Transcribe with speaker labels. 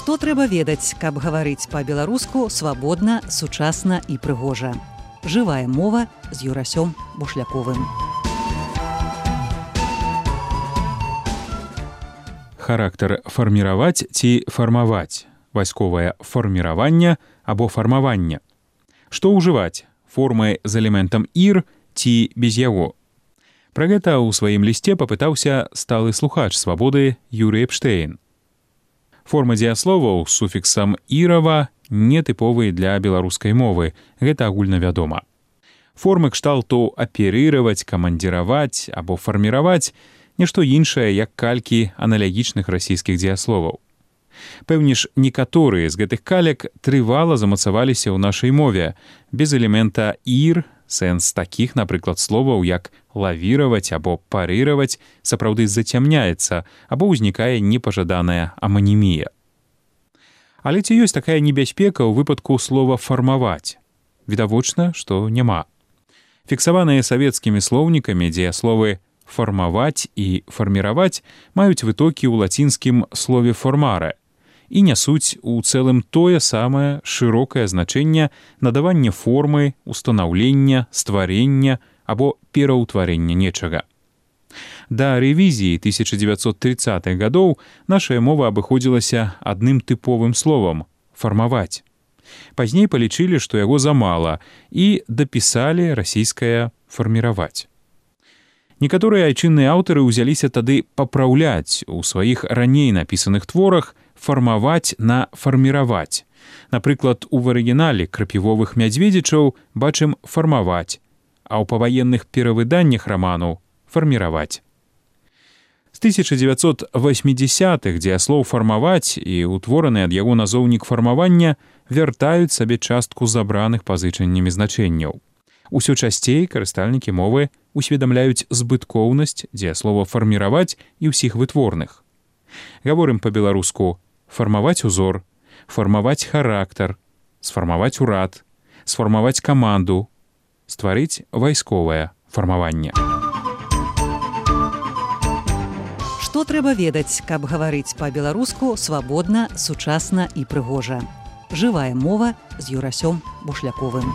Speaker 1: Што трэба ведаць, каб гаварыць па-беларуску свабодна, сучасна і прыгожа. Жывая мова з Юрасём Бушляковым.
Speaker 2: Характар фарміраваць ці фармаваць, вайсковае фарміраванне або фармаванне. Што ўжываць, формы з элементам «ір» ці без яго? Пра гэта ў сваім лісце папытаўся сталы слухач свабоды Юрый Эпштейн. Формы дзеясловаў з суфіксам «ірава» нетыповыя для беларускай мовы, гэта агульнавядома. Формы кшталту аперыраваць, камандзіраваць або фарміраваць нешто іншае, як калькі аналагічных расійскіх дзеясловаў. Пэўне ж, некаторыя з гэтых калек трывала замацаваліся ў нашай мове, без элемента «ір», сэнс такіх, напрыклад, словаў, як лавіраваць або парыраваць, сапраўды зацямняецца або ўзнікае непажаданая аманімія. Але ці ёсць такая небяспека ў выпадку слова «фармаваць»? Відавочна, што няма. Фіксаваныя савецкімі слоўнікамі дзеясловы «фармаваць» і «фарміраваць» маюць вытокі ў лацінскім слове «формare» і нясуць у цэлым тое самае шырокае значэнне надавання формы, устанаўлення, стварення або пераўтварення нечага. Да рэвізіі 1930-х гадоў нашая мова абыходзілася адным тыповым словам – «фармаваць». Пазней палічылі, што яго замала, і дапісалі расійскае «фарміраваць». Некаторыя айчынныя аўтары ўзяліся тады папраўляць у сваіх раней напісаных творах фармаваць на фарміраваць. Напрыклад, у арыгінале крапівовых мядзведзічаў бачым фармаваць, а ў паваенных перавыданнях раману фарміраваць. З 1980-х дзеяслоў фармаваць і ўтвораны ад яго назоўнік фармавання вяртаюць сабе частку забраных пазычаннямі значэнняў. Усё часцей карыстальнікі мовы усведамляюць збыткоўнасць дзеяслова фарміраваць і ўсіх вытворных. Гаворым па-беларуску фармаваць узор, фармаваць характар, сфармаваць урад, сфармаваць каманду, стварыць вайсковае фармаванне.
Speaker 1: Што трэба ведаць, каб гаварыць па-беларуску свабодна, сучасна і прыгожа. Жывая мова з Юрасём Бушляковым.